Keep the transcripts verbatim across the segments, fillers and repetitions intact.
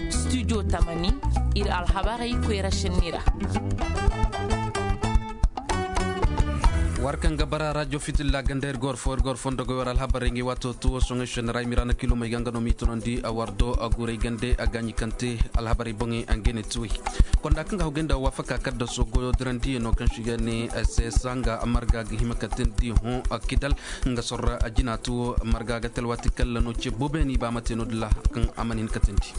Studio tamani, ir alhabarey koyra šenni ra. War kaŋ ga bara rajo fitilla ganda ir gor fo ir gor fondo ga war alhabarey ngi wato tuwo soŋay šenni ra i mira na kilomey ga nga no mi tunandi a war do a guray gande a gaɲi kante. Alhabarey boŋey a ngene tuwey konda kaŋ ga hawgay nda wafaka kaddaso goyo dirandi no kaŋ si ga ne sesa nga marga ga hima ka tindi hõ kidal. Nga sorra a jina tuwo marga ga talwati kalla no ce bobeeni ba mate no dilla kaŋ a man hin ka tindi.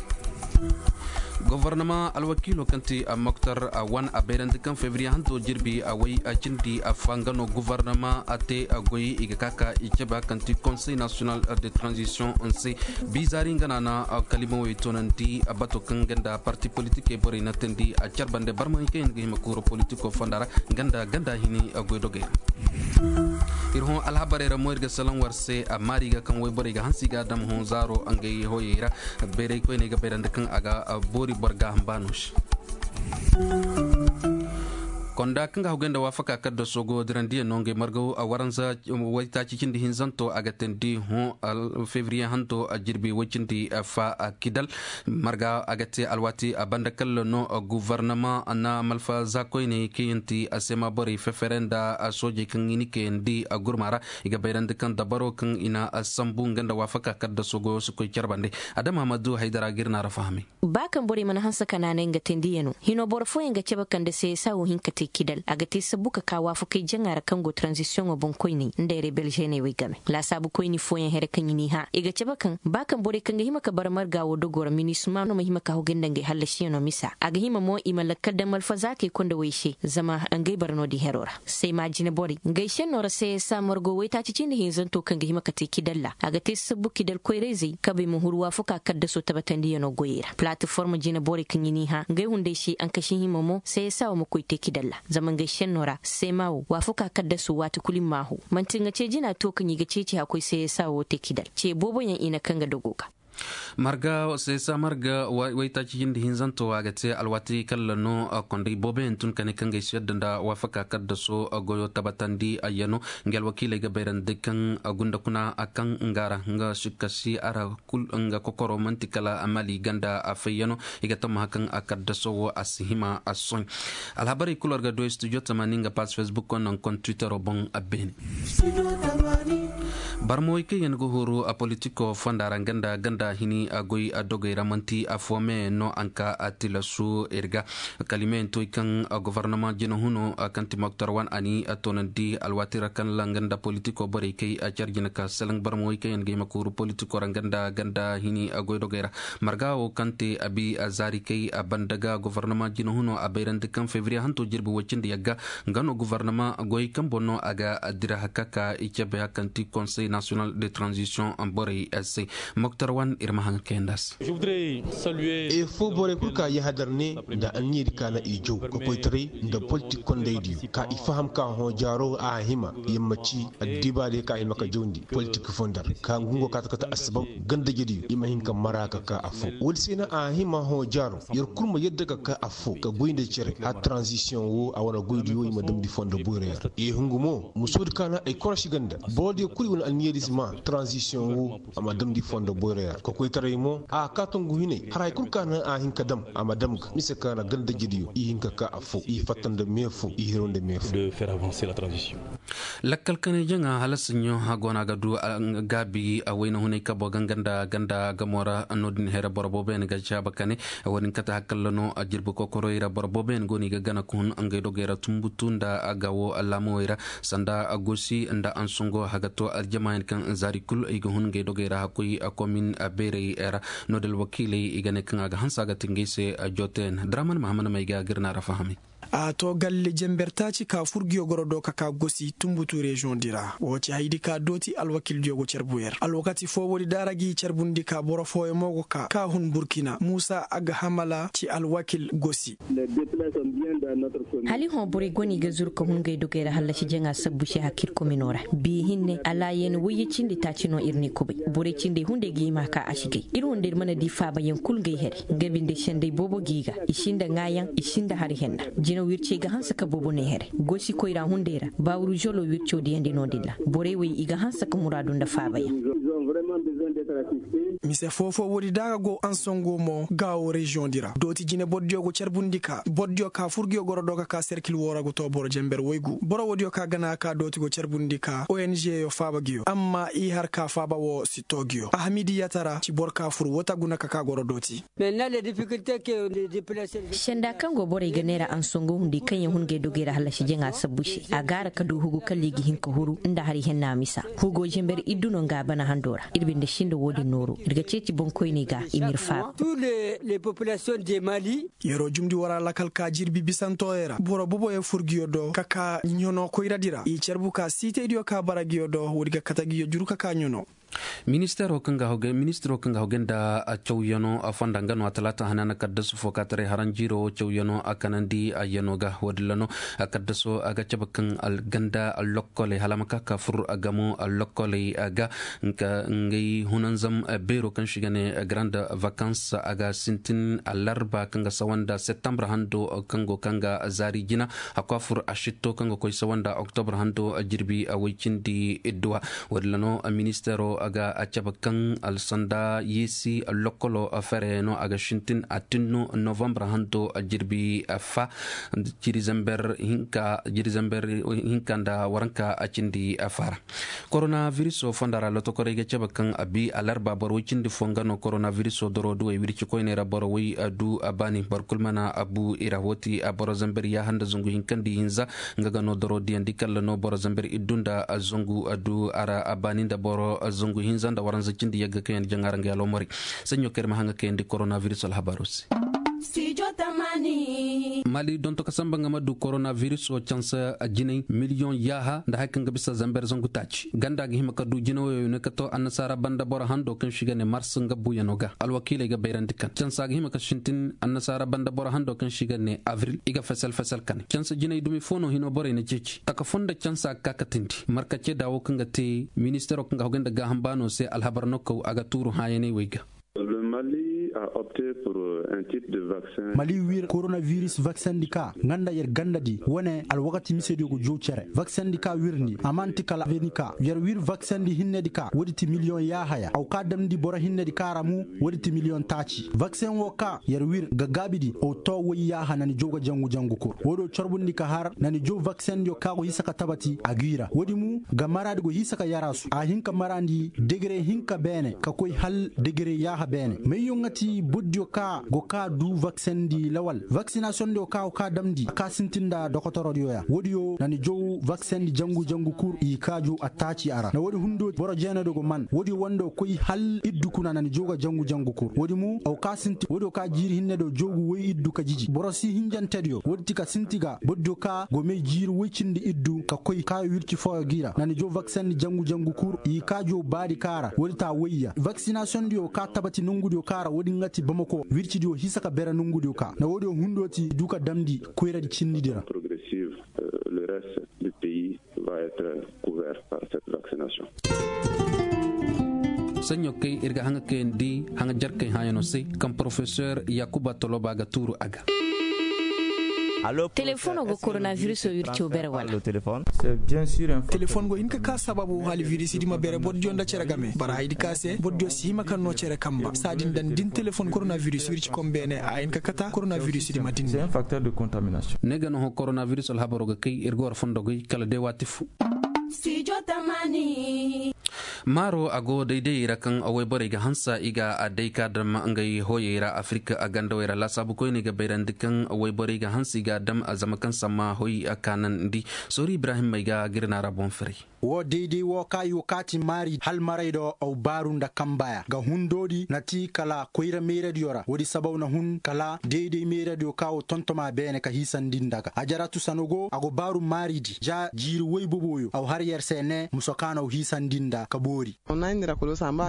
Gofornama alwakiilo kaŋ ti moktar wan a bayrandi kaŋ fevriye hanto jirbi a way a cindi a fa nga no gofornama a te a goy i ga ka ka i cabe kaŋ ti konsey nasiyonal de tranzisiyoŋ se. Bizaari nga na na kalimawey toonandi bato kaŋ nga nda parti politikey borey na teendi a care bande barmahikey nga hima kuuro politiko fonda ra. Nga nda ganda hini goydogey ra. Ir hõ alhabarey ra mo ir ga salaŋ war se a maari ga kaŋ wayborey ga hanse i ga a dam hõ zaaro ngey hoyey ra. Bayray koyney ga bayrandi kaŋ a ga boori boro ga hamba no se. Konda kaŋ ga haggoy nda waafaka kaddaso go dirandiyaŋ no ngey marga waranza waytaaci cindi hinzanto a ga teendi hõ fevriye hanto jirbi way cindi fa kidal. Marga a ga te alwaati a banda kalla no guvarnama na malfa za koyney kaŋ yaŋ ti a seema borey fefere nda soojey kaŋ i ni kayandi gurma ra. I ga bayrandi kaŋ dabaro kaŋ i na sambu nga nda waafaka kaddaso goyo si koy care bande. Adama ma du haydara ga ir na ra fahamay. Ba kaŋ borey mana hanse ka naanay nga teendiyaŋo hino boro fooyaŋ ga cabe kaŋ nda seesa wo hin ka te kidal a ga te sabbu ka ka waafakey jaŋa ra kaŋ go taranzisiyoŋo boŋ koyney nda rebel žeeney wey game. Laasaabu koyni fooyaŋ here kaŋ i n'i hã i ga cabe kaŋ ba kaŋ borey kaŋ ga hima ka bara marga wo dogo ra minisma no ma hima ka hogay nda ngey hallasiyaŋo misa a ga hima mo i ma lakkal daŋ malfazaakey konda wey se zama ngey bara no-din hero ra. Seema jine borey ngey senno ra seesa margo waytaaci cindi hinzanto kaŋ ga hima ka te kidal ra a ga te sabbu kidal koyrayzey kabey ma huru waafakaa kaddaso tabatandiyaŋo goyey ra palatiform jine borey kaŋ i n'i hã ngey hunday se ankasi hima mo seesa wo ma koy te kidal ra. Zama ngey senno ra seema wo waafakaa kaddaso waati kul i m'a hoo man'ti nga cee jina to kaŋ i ga ceeci hakkoy seesa wo te kidal cee booboyaŋ i na kaŋ ga dogo ga. Marga seesa marga waytaaci jindi hinzanto a ga te alwaati kalla no. Konday booboyaŋ tun ka ne kaŋ ga ay si yadda nda waafaka kaddaso goyo tabatandi ayya no. Nga alwakiiley ga bayrandi kaŋ gunda kuna kaŋ nga ra nga sikkasi a ra kul nga kokoro man'ti kala mali ganda a fayyano. I ga tammaha kaŋ a kaddaso wo a si hima a soy. Alhabarey kul war ga du studio tamani nga pass facebook wo naŋ kon twittero boŋ a beene. Barmawey kaŋ yaŋ ga huru a politiko fonda ra nga nda ganda hini a goy a dogey ra man'ti a fo me no anka a tilasu ir ga kalimeyaŋ toy kaŋ gofornama jina huno kaŋ ti moktar wan a ni a toonandi alwaati ra kaŋ ra nga nda politiko borey kay a care jina ka salaŋ barmawey kaŋ yaŋ ga hima ka huru politiko ra nga nda ganda hini a goy dogey ra. Marga wo kaŋ te a bi a zaari kay a banda ga gofornama jina huno a bayrandi kaŋ fevriye hanto jirbi way cindi yagga nga no gofornama goy kaŋ boŋ no a ga dira haka ka i cabe haka kaŋ ti konsey nasiyonal de tranzisiyoŋ borey se. Moktar wan ir ma haŋ kayandi a se. Ay affoo borey kul ka yahadar ne nda anniya di ka na i jaw ka koytaray nda politik kondaydiyo ka i faham ka hõ jaaro a hima yammaci addibaadiyo ka hima ka jawndi politik fondar ka ngu ngo kaata kate assabab gandajediyo i ma hin ka mara ka ka affoo woodi se na a hima hõ jaaro yer kul ma yadda ka ka affoo ka goy nda cere hala taranzisiyoŋ wo a wane goydiyo i ma damndi fondo boyra yer i hungu mo musoodi ka na ay korosi ganda borodiyo kul i wane anniyadiz ma taranzisiyoŋ wo a ma damndi fondo boyra yer kokoytaray mo a ka tungu hinay hara hay kul ka na a hin ka dam a ma dam ga mise ka na gandajediyo i hin ka ka affoo i fatta nda meefoo i hiro nda meefoo. Lakkal kanay jaŋa hala saɲɲo a go no a ga du gaabi a wayna hunay kabo ganga nda ganda gamo ra no-din here boro booboyaŋ ga caaba kane. Wo-din kate hakalla no a jirbi kokoroy ra boro booboyaŋ go no i ga gana ka hun ngey dogey ra tumbutu nda a ga wo laamawey ra sanda a gosi nda ansungo haga to aljamaayaŋ kaŋ zaari kul i ga hun ngey dogey ra hakkoy komin beerey ra. No-din alwakiiley i ga ne kaŋ a ga hanse a ga te ngey se. Jooteyaŋ draman mahamad may ga ga ir na ra fahamay. A to galle jenber taaci ka fur ngiyo goro do ka ka gosi tumbutu reziyoŋ di ra wo ci haydi ka dooti alwakildiyo go carbu yer alwakati foo woodi daara g'i carbundi ka boro fooyaŋ mo go ka ka hun burkina muusa aghamala ci alwakil gosi. Hala i hõ borey go no i ga zuru ka hun ngey dogey ra hallasi jaŋa sabbu se hakir komino ra biya hinne alaayen wayye cindi taaci no ir n'i kubay borey cindey hunday ga hima ka a si gay ir hunday ir mana di faabayaŋ kul ngey here. Nga binde sendey boobo g'i ga i sinda ŋaayaŋ i sinda hari henna. Jinaw wircey ga hanse ka boobo ne here gosi koyra hunday ra baawuru zolo wirco diyandi no-din ra borey wey i ga hanse ka muraadu nda faabayaŋ. Mise foo-foo woodi da a ga go ansongo mo gaawo reziyoŋ di ra dooti jine borodiyo go carbundi ka borodiyo ka fur nguyo goro do ka ka serkil woo ra go too boro jenber woygu boro woodiyo ka gana ka dooti go carbundi ka ong yo faaba nguyo amma i har ka faaba woo si too nguyo ahmidi yatara ci boro ka fur woo ta guna ka ka goro dooti. Senda kaŋ go borey ga neera ansongo hundi kaŋ ya hun ga ay dogey ra hallasi jaŋa sabbu se a gaara ka du hugu kala i ga hin ka huru nda hari henna misa hugo jember iddu no nga a bana hando ra ir binde sinda wo-din nooro ir ga ceeci boŋkoyney ga i ma ir faaba. Yeroo jumndi war a lakal ka jirbi bisantoyey ra boro boboyey fur nguyo do ka ka ɲano koyradi ra i carbu ka siitaydiyo ka bara nguyo do woodi ga kate nguyo juru ka ka ɲano. Ministiro kaŋ ga hawgay nda cawyano fonda nga no a talaata hanaana kaddasu fo ka taray haranjiiro cawyano a kanandi a yano ga woodin ra no. Kaddaso a ga cabe kaŋ ganda lokkoley hala a ma ka ka fur gamo lokkoley ga ngey hunanzam beero kaŋ se i ga ne garande vakans a ga sintin alarba kaŋ ga sawa nda septembre hando kaŋ go kaŋ ga zaari jina. Hakku a fur asitto kaŋ ga koy sawa nda oktobre hando jirbi woy cindi idduwa. Woodin ra no ministeero ga cabe kaŋ alsanda yeesi lokkolo fere no a ga sintin a tinno novembre hando jirbi fa jiri zamber hinka nda waranka cindi fa ra. Korona viriso fonda ra lotokorey ga cabe kaŋ a bi alarba boro woy cindi fo nga no korona viriso doro duwey wirci koyney ra boro woy du a baani boro kul mana a bu i ra woo ti boro zamber yaaha nda zangu hinka nda ihinza. Nga ga no doro diyandi kalla no boro zamber iddu nda zangu du a ra a baani nda boro zangu hinza nda waranza cindi yagga kaŋ yaŋ jaŋa ra nga alomorey. Saɲɲo kaŋ ir ma haŋa kayandi korona viris alhabaaro se. Mali donto ka samba nga ma du korona viriso cansa jinay miliyoŋ yaaha nda hari kaŋ ga bisa zamber zangu taaci ganda ga hima ka du jinawoyo ne ka to annasaara banda boro hando kaŋ se i ga ne mars nga buuyano ga alwakiiley ga bayrandi kaŋ cansa ga hima ka sintin annasaara banda boro hando kaŋ se i ga ne avril i ga fesel fesel kane cansa jinay dumi fo no hino borey na ceeci taka fo nda cansa ga ka katindi marka ceeda wo kaŋ ga te ministero kaŋ ga hogay nda gaaham baano se alhabar no kaw a ga tuuru hãyaney wey ga. Mali wir koronaviris vaksendi ka nga nda yer gandadi wane alwakati misediyo go jow cere vaksendi ka wirndi a man'ti kala venika yer wir vaksendi hinnedi ka woodi ti miliyoŋ yaahaya aw ka damndi boro hinnedi ka ra mu woodi ti miliyoŋ taaci vaksen wo ka yer wir ga gaabidi aw to woy yaaha na ni jow ga jangu jangu kur woodiyo corbundi ka har na ni jow vaksendiyo ka go hisa ka tabati a g'i ra woodi mu ga maraadi go hisa ka yaraasu a hin ka maraandi degere hinka beene ka koy hal degere yaaha beene mayyo nga ti bordiyo ka go ka du vaksendi lawal vaksinasiyondiyo ka go ka damndi a ka sintin nda dokotorodiyo ya woodiyo na ni jow vaksendi jangu jangu kur i ka jow attaaci a ra na woodi hundo boro jeenadiyo go man woodiyo wando koy hal iddu kuna na ni jow ga jangu jangu kur woodi mu aw ka sinti woodiyo ka jiiri hinnediyo jow ga woy iddu ka jiji boro si hinjantediyo woodi ti ka sinti ga bordiyo ka go may jiiri woy cindi iddu ka koy ka wirci fooyo g'i ra na ni jow vaksendi jangu jangu kur i ka jow baadi ka ra woodi ta woyya vaksinasiyondiyo ka tabati nongudiyo ka ra woodi nga ti bamako wircidiyo hisa ka bere nongudiyo ka na woodiyo hundo ti du ka damndi koyradi cinnidi ra. Saɲɲo kay ir ga haŋa kayandi haŋa jarkay hãyanoo se kaŋ porofesor yakuba toloba ga tuuru a ga. Telefono go koronaviruso wirco bere wala? Telefon go hin ka ka sababu hali virisi di ma bere bordiyo nda cere game bara haydi ka se bordiyo si hima kaŋ no cere kamba saadin daŋ din telefon koronavirus wirci kom beene a hin ka kata koronavirus di ma dinne. Ne ga no ho koronavirus alhabaro ga kay ir ga war fondo goy kala day waati fo. Maaro a go daydayey ra kaŋ wayborey ga hanse i ga a day ka dam ngey hoyey ra afirika a gandawey ra laasaabu koyney ga bayrandi kaŋ wayborey ga hanse i ga a dam a zama kaŋ samma hoy a kaanandi. Sooru ibrahim may ga gir naara boŋ firay. Woo dayday woo ka i wo kaati maari halmaray do aw baaru nda kambaya ga hundoodi na ti kala koyra mayradiyo ra woodi sabaw na hun kala dayday mayradiyo ka wo tontoma beene ka hiisandi nda ga ajaratu sano go a go baaru maaridi ja jiiri woy boboyo aw har yer se ne muso ka na aw hiisandi nda ka boori.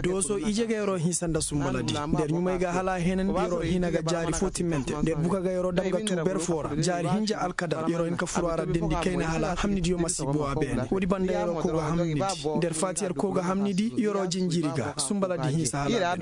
Dooso ije ga yeroo hinsa nda sumbaladi nda yer ɲumay ga hala a heenandi yeroo hina ga jaari fo timmante nda yer buka ga yeroo dam ga tuu ber fo ra jaari hinja alkadar yeroo hin ka furu a ra dendi kayna hala hamnidiyo ma si boo a beene woodi banda yeroo koo ga hamnidi nda yer faati yer koo ga hamnidi yeroo jinjiri ga sumbaladi hinsa hala a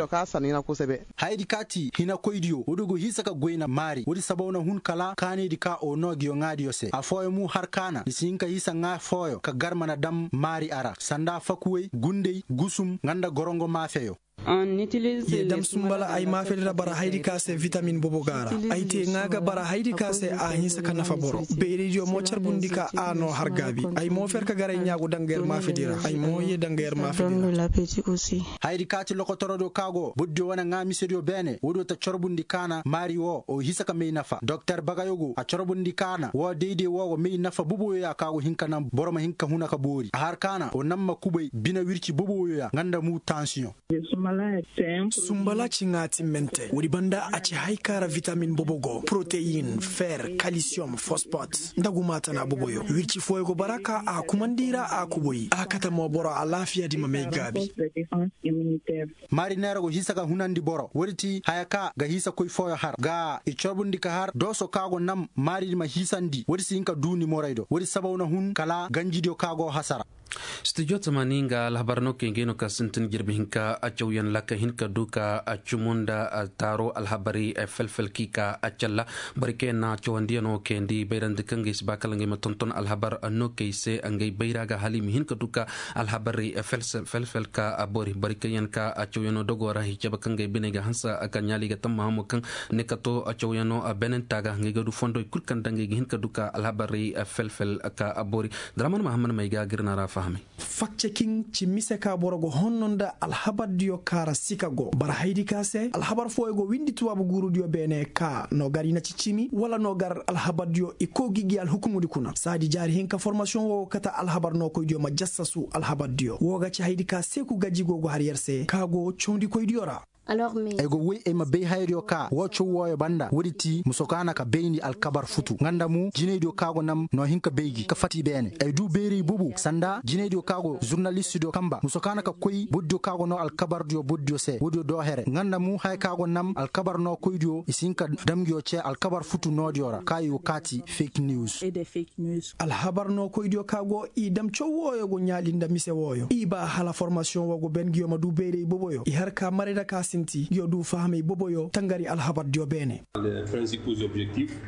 beene. Hayadi kaati hinakoydiyo woodi go hinsa ka goyna maari woodi sabaw na hun kala kaanaydi ka o noo nguyo ŋaadiyo se afooyo mu har kaana i si hin ka hinsa ŋaa fooyo ka garma na dam maari a ra sanda fakuwey gundey gusum nga nda gorongo maafeyo. Ye dam sumbala ay maafedi ra bara haydi ka se vitamin bobo ga a ra. Ay te ŋaa ga bara haydi ka se a hinsa ka nafa boro. Beeraydiyo mo carbundi ka a no har gaabi. Ay mo fer ka garay ɲaagu danga yer maafedi ra. Ay mo ye danga yer maafedi ra. Haydi ka ti lokotorodiyo ka go bordiyo wane ŋaa misediyo beene woodiyo ta carbundi ka na maari wo o hisa ka may nafa doktor bagayo go a carbundi ka na wo dayday wo go may nafa boboyo ya ka go hin ka naŋ boro ma hin ka huna ka boori a har ka na o naŋ ma kubay bine wirci boboyo ya nga nda mu tansiyoŋ. Sumbala ci ŋaatimmante woodi banda a ci hay ka ra vitamin bobo go poroteyin, fer, kalisiyoŋ, fosfot, nda gumaatana boboyo wirci fooyo go bara ka a kumandi ra a kuboy a kate mo boro alaafiyadi ma may gaabi. Maari neera go hisa ga hunandi boro woodi ti haya ka ga hisa koy fooyo har ga i corbundi ka har dooso ka go nam maaridi ma hisandi woodi si hin ka duu ni moray do woodi sabaw na hun kala ganjidiyo ka go hasara. Studio tamani nga alhabar no kay ngey no ka sintin jirbi hinka a cawyan laka hinka du ka a cumu nda a taaro alhabari felfel ki ka a calla. Bari kay na cawandiyano kayandi bayrandi kaŋ ngey si ba kala ngey ma tonton alhabar no kay se ngey bayra ga hala i ma hinka du ka alhabari felfel ka a bori bari kayyan ka a cawyano dogo ra i cabe kaŋ ngey biney ga hansa ka ɲaali ga tamma hamo kaŋ ne ka to a cawyano a benenta ga ngey ga du fondoy kul kaŋ da ngey ga hin ka du ka alhabarey felfel ka a boori. Daraman mahamman may ga ga ir na ra fahamay. Fakcakiŋ ci mise ka boro ga honno nda alhabardiyo kaara sika go bara haydi ka se alhabar fooyo go windi tubaabu guurudiyo beene ka no gar i na ci cimi wala no gar alhabardiyo i kow ga i gi alhukumudi kuna saadi jaari hinka formasiyoŋ wo go kate alhabar nookoydiyo ma jassasu alhabardiyo wo ga ci haydi ka seeku gaji go go har yer se ka go cawndikoydiyo ra. Ay go woy ay ma bay hayadiyo ka woo caw wooyo banda woodi ti muso ka na ka bayndi alkabar futu nga nda mo jinaydiyo ka go nam no hin ka bay gi ka fati beene ay du bayray bobo sanda jinaydiyo ka go zurnalistidiyo kamba muso ka na ka koy bordiyo ka go noo alkabardiyo bordiyo se woodiyo doo here nga nda mo haya ka go nam alkabar nookoydiyo i si hin ka dam nguyo cee alkabar futu noodiyo ra ka i go kaati fake news. Alhabar nookoydiyo ka go i dam caw wooyo go ɲaali nda mise wooyo i baa hala formasiyoŋ woo go ben nguyo ma du bayray boboyo i har ka maray nda ka sinti nguyo du fahamay boboyo tangari alhabardiyo beene.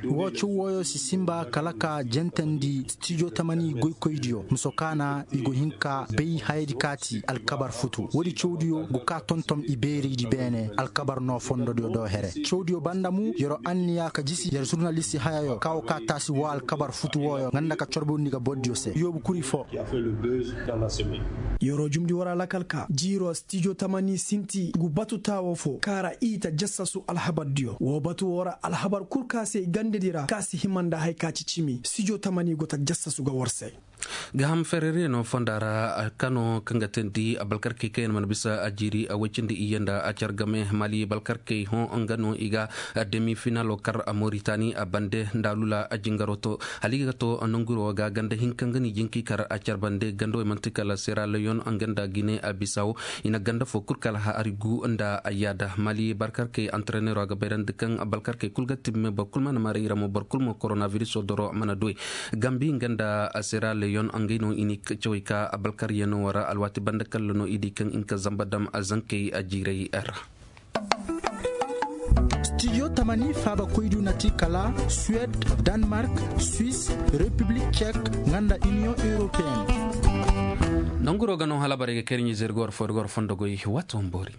Woo caw wooyo si sinba kala ka jentandi stijo tamani goykoydiyo muso ka na i go hin ka bay hayadi kaati alkabar futu woodi cawdiyo go ka tonton i bayraydi beene alkabar noo fondodiyo do here cawdiyo banda mu yer'o anniya ka jisi yer zurnalisti hayayo ka wo ka taasi woo alkabar futu wooyo nga nda ka corbondi ga bordiyo se yoobu kuri foo. Yer'o jumndi war alakal ka jiir'o stijo tamani sinti ngu batu taawo foo kaara i ta jassasu alhabardiyo woo batu woo ra alhabar kul ka se gandedi ra ka si hima nda haya ka ci cimi stijo tamani go ta jassasu ga war se. Ga ham ferere no fonda ra kano kaŋ ga teendi abalkarkey kaŋ yaŋ mana bisa a jiiri a woy cindi iyye nda a car game mali balkarkey hõ nga no i ga demi finalo kar a moritani a bande nda lula a jingaro to hala i ga to nanguro ga ganda hinka nga no i jinki kar a car bande ganda wey manti kala sera leyon nga nda gine a bisawo i na ganda fo kul kala hari gu nda a yaada mali balkarkey antrenero a ga bayrandi kaŋ balkarkey kul ga timme boro kul mana mara ira mo boro kul mo koronaviruso doro mana duwey gambi nga nda sera leyon ngey no i ni cawey ka balkaryaŋo ra alwaati banda kalla no i di kaŋ i na ka zamba dam a zankey a jiiray ra. Studio tamani faaba koydu na ti kala suwed, danemark, suisse, repiblik cek nga nda iniyoŋ europeyen. Nanguro ga no halabarey ga kay ir ɲizey ir ga war fo ir ga war fondo goy waati wane boori.